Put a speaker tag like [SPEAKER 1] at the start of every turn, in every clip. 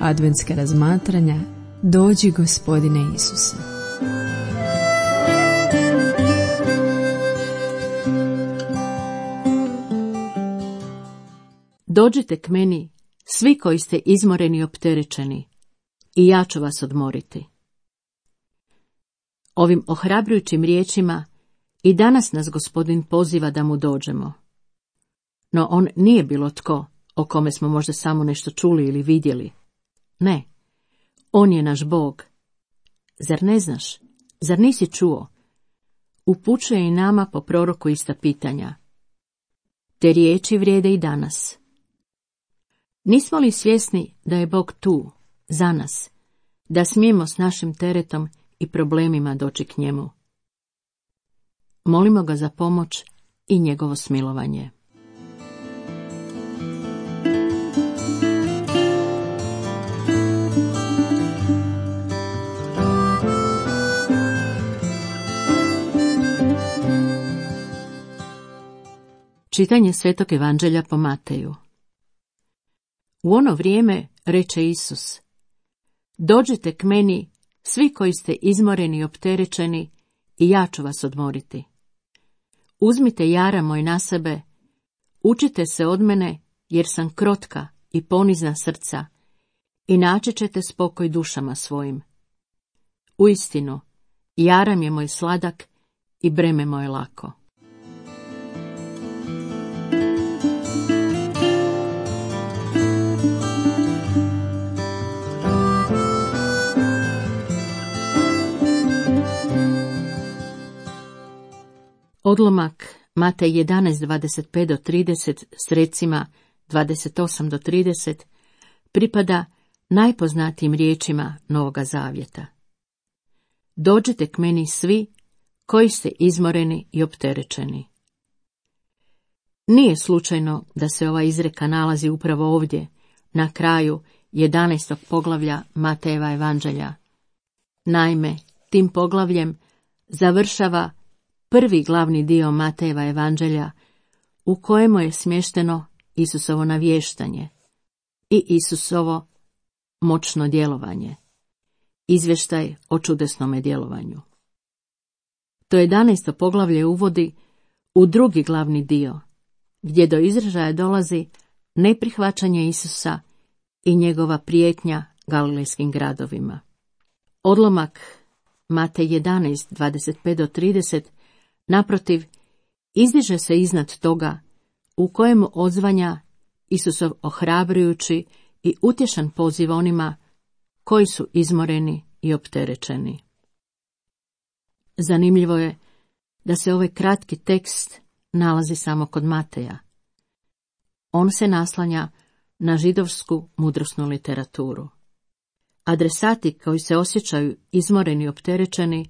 [SPEAKER 1] adventska razmatranja Dođi Gospodine Isuse.
[SPEAKER 2] Dođite k meni, svi koji ste izmoreni i opterećeni, i ja ću vas odmoriti. Ovim ohrabrujućim riječima i danas nas Gospodin poziva da mu dođemo. No on nije bilo tko o kome smo možda samo nešto čuli ili vidjeli. Ne, on je naš Bog. Zar ne znaš? Zar nisi čuo? Upućuje i nama po proroku ista pitanja. Te riječi vrijede i danas. Nismo li svjesni da je Bog tu, za nas, da smijemo s našim teretom i problemima doći k njemu? Molimo ga za pomoć i njegovo smilovanje. Čitanje Svetog Evanđelja po Mateju. U ono vrijeme reče Isus: Dođite k meni, svi koji ste izmoreni i opterećeni, i ja ću vas odmoriti. Uzmite jara moj na sebe, učite se od mene, jer sam krotka i ponizna srca, i naći ćete spokoj dušama svojim. Uistinu, jaram je moj sladak i breme moje lako. Odlomak Matej 11:25-30 s recima 28-30 pripada najpoznatijim riječima Novoga Zavjeta. Dođite k meni svi koji ste izmoreni i opterećeni. Nije slučajno da se ova izreka nalazi upravo ovdje, na kraju 11. poglavlja Matejeva Evanđelja. Naime, tim poglavljem završava prvi glavni dio Matejeva Evanđelja, u kojemu je smješteno Isusovo navještanje i Isusovo moćno djelovanje, izvještaj o čudesnome djelovanju. To 11. poglavlje uvodi u drugi glavni dio, gdje do izražaja dolazi neprihvaćanje Isusa i njegova prijetnja galilejskim gradovima. Odlomak Matej 11:25-30 naprotiv, izdiže se iznad toga, u kojemu odzvanja Isusov ohrabrujući i utješan poziv onima koji su izmoreni i opterećeni. Zanimljivo je da se ovaj kratki tekst nalazi samo kod Mateja. On se naslanja na židovsku mudrosnu literaturu. Adresati koji se osjećaju izmoreni i opterećeni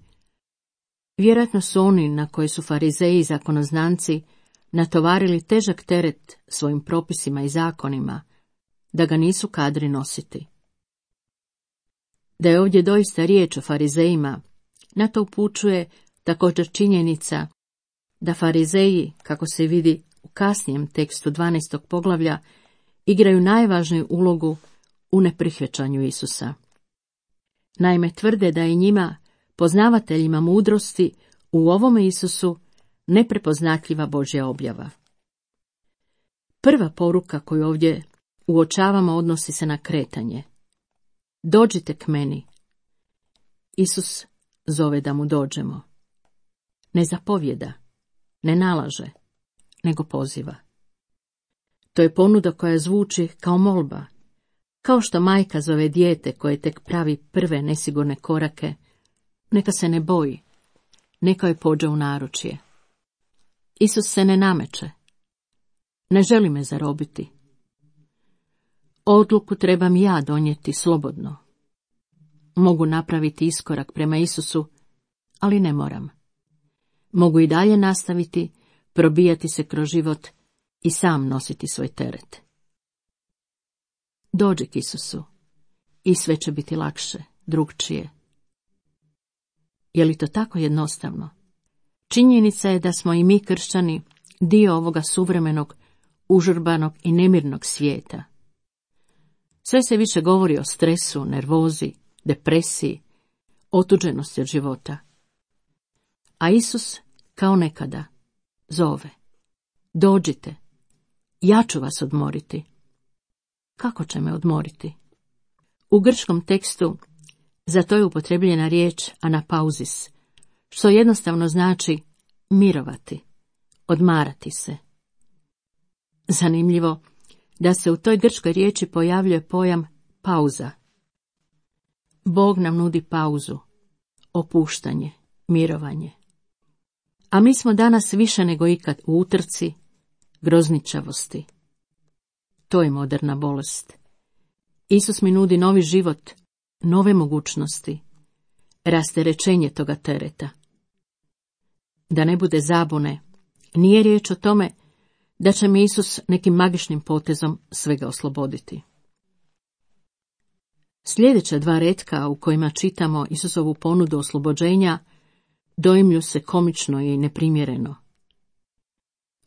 [SPEAKER 2] vjerojatno su oni na koje su farizeji i zakonoznanci natovarili težak teret svojim propisima i zakonima, da ga nisu kadri nositi. Da je ovdje doista riječ o farizejima, na to upućuje također činjenica da farizeji, kako se vidi u kasnijem tekstu 12. poglavlja, igraju najvažniju ulogu u neprihvaćanju Isusa. Naime, tvrde da je njima, poznavateljima mudrosti, u ovome Isusu neprepoznatljiva Božja objava. Prva poruka koju ovdje uočavamo odnosi se na kretanje. Dođite k meni. Isus zove da mu dođemo. Ne zapovjeda, ne nalaže, nego poziva. To je ponuda koja zvuči kao molba, kao što majka zove dijete koje tek pravi prve nesigurne korake, neka se ne boji, neka joj pođe u naručje. Isus se ne nameće, ne želi me zarobiti. Odluku trebam ja donijeti slobodno. Mogu napraviti iskorak prema Isusu, ali ne moram. Mogu i dalje nastaviti, probijati se kroz život i sam nositi svoj teret. Dođi k Isusu i sve će biti lakše, drugčije. Je li to tako jednostavno? Činjenica je da smo i mi kršćani dio ovoga suvremenog, užurbanog i nemirnog svijeta. Sve se više govori o stresu, nervozi, depresiji, otuđenosti od života. A Isus, kao nekada, zove: dođite, ja ću vas odmoriti. Kako će me odmoriti? U grčkom tekstu za to je upotrebljena riječ anapauzis, što jednostavno znači mirovati, odmarati se. Zanimljivo da se u toj grčkoj riječi pojavljuje pojam pauza. Bog nam nudi pauzu, opuštanje, mirovanje. A mi smo danas više nego ikad u utrci, grozničavosti. To je moderna bolest. Isus mi nudi novi život, nove mogućnosti, rasterećenje toga tereta. Da ne bude zabune, nije riječ o tome da će mi Isus nekim magičnim potezom svega osloboditi. Sljedeća dva retka u kojima čitamo Isusovu ponudu oslobođenja doimlju se komično i neprimjereno.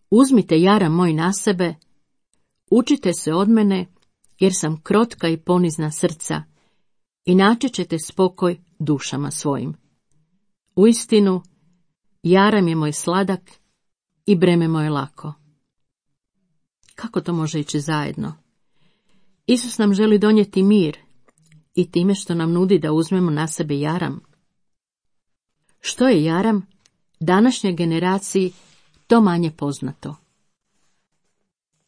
[SPEAKER 2] Uzmite jaram moj na sebe, učite se od mene, jer sam krotka i ponizna srca, i naći ćete spokoj dušama svojim. Uistinu, jaram je moj sladak i breme moje lako. Kako to može ići zajedno? Isus nam želi donijeti mir i time što nam nudi da uzmemo na sebe jaram. Što je jaram? Današnjoj generaciji to manje poznato.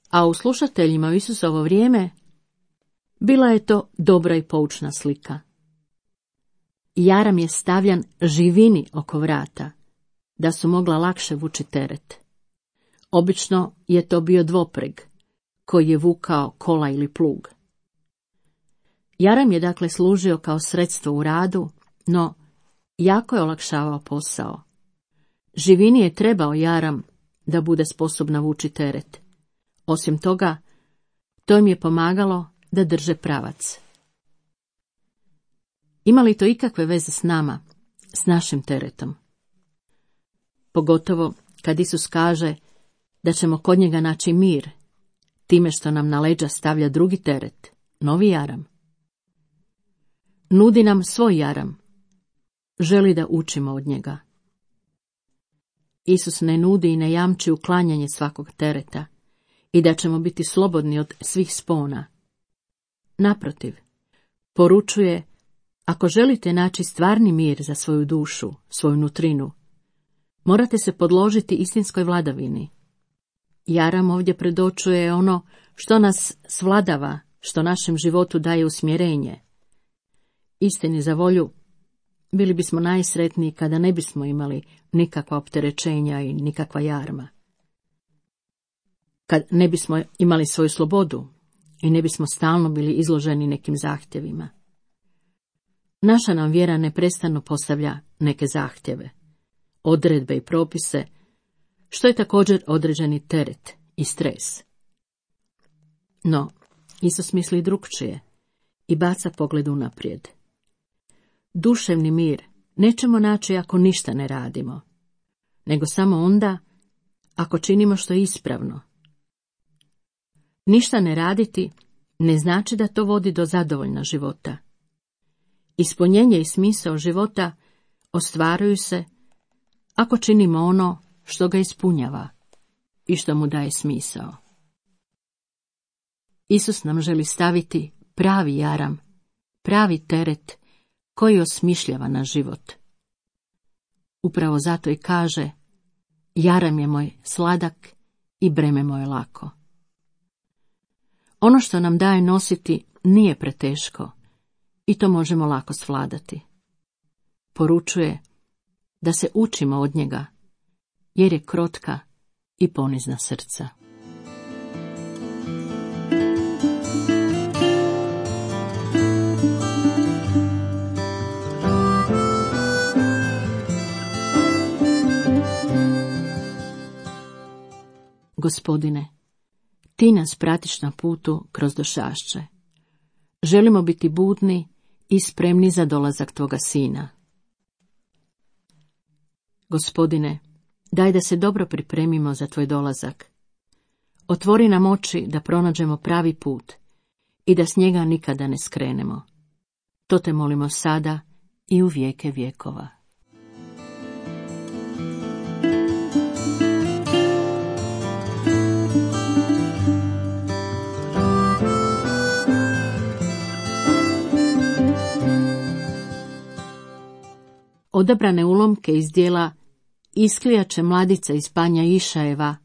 [SPEAKER 2] A u slušateljima u Isusovo vrijeme bila je to dobra i poučna slika. Jaram je stavljan živini oko vrata, da su mogla lakše vući teret. Obično je to bio dvopreg, koji je vukao kola ili plug. Jaram je dakle služio kao sredstvo u radu, no jako je olakšavao posao. Živini je trebao jaram da bude sposobna vući teret. Osim toga, to im je pomagalo da drže pravac. Ima li to ikakve veze s nama, s našim teretom? Pogotovo kad Isus kaže da ćemo kod njega naći mir, time što nam na leđa stavlja drugi teret, novi jaram. Nudi nam svoj jaram, želi da učimo od njega. Isus ne nudi i ne jamči uklanjanje svakog tereta i da ćemo biti slobodni od svih spona. Naprotiv, poručuje: ako želite naći stvarni mir za svoju dušu, svoju nutrinu, morate se podložiti istinskoj vladavini. Jaram ovdje predočuje ono što nas svladava, što našem životu daje usmjerenje. Istini za volju, bili bismo najsretniji kada ne bismo imali nikakva opterećenja i nikakva jarma. Kad ne bismo imali svoju slobodu i ne bismo stalno bili izloženi nekim zahtjevima. Naša nam vjera neprestano postavlja neke zahtjeve, odredbe i propise, što je također određeni teret i stres. No, Isus misli drukčije i baca pogled unaprijed. Duševni mir nećemo naći ako ništa ne radimo, nego samo onda ako činimo što je ispravno. Ništa ne raditi ne znači da to vodi do zadovoljna života. Ispunjenje i smisao života ostvaruju se ako činimo ono što ga ispunjava i što mu daje smisao. Isus nam želi staviti pravi jaram, pravi teret koji osmišljava naš život. Upravo zato i kaže: jaram je moj sladak i breme moje lako. Ono što nam daje nositi nije preteško i to možemo lako svladati. Poručuje da se učimo od njega, jer je krotka i ponizna srca. Gospodine, ti nas pratiš na putu kroz došašće. Želimo biti budni i spremni za dolazak tvoga sina. Gospodine, daj da se dobro pripremimo za tvoj dolazak. Otvori nam oči da pronađemo pravi put i da s njega nikada ne skrenemo. To te molimo sada i u vijeke vjekova. Odabrane ulomke iz dijela Isklijače mladica iz Panja Išajeva,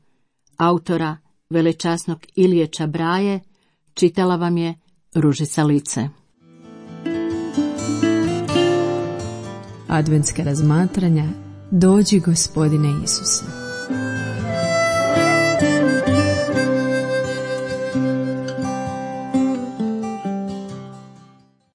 [SPEAKER 2] autora velečasnog Ilije Čabraje, čitala vam je Ružica Lice.
[SPEAKER 1] Adventska razmatranja Dođi Gospodine Isuse.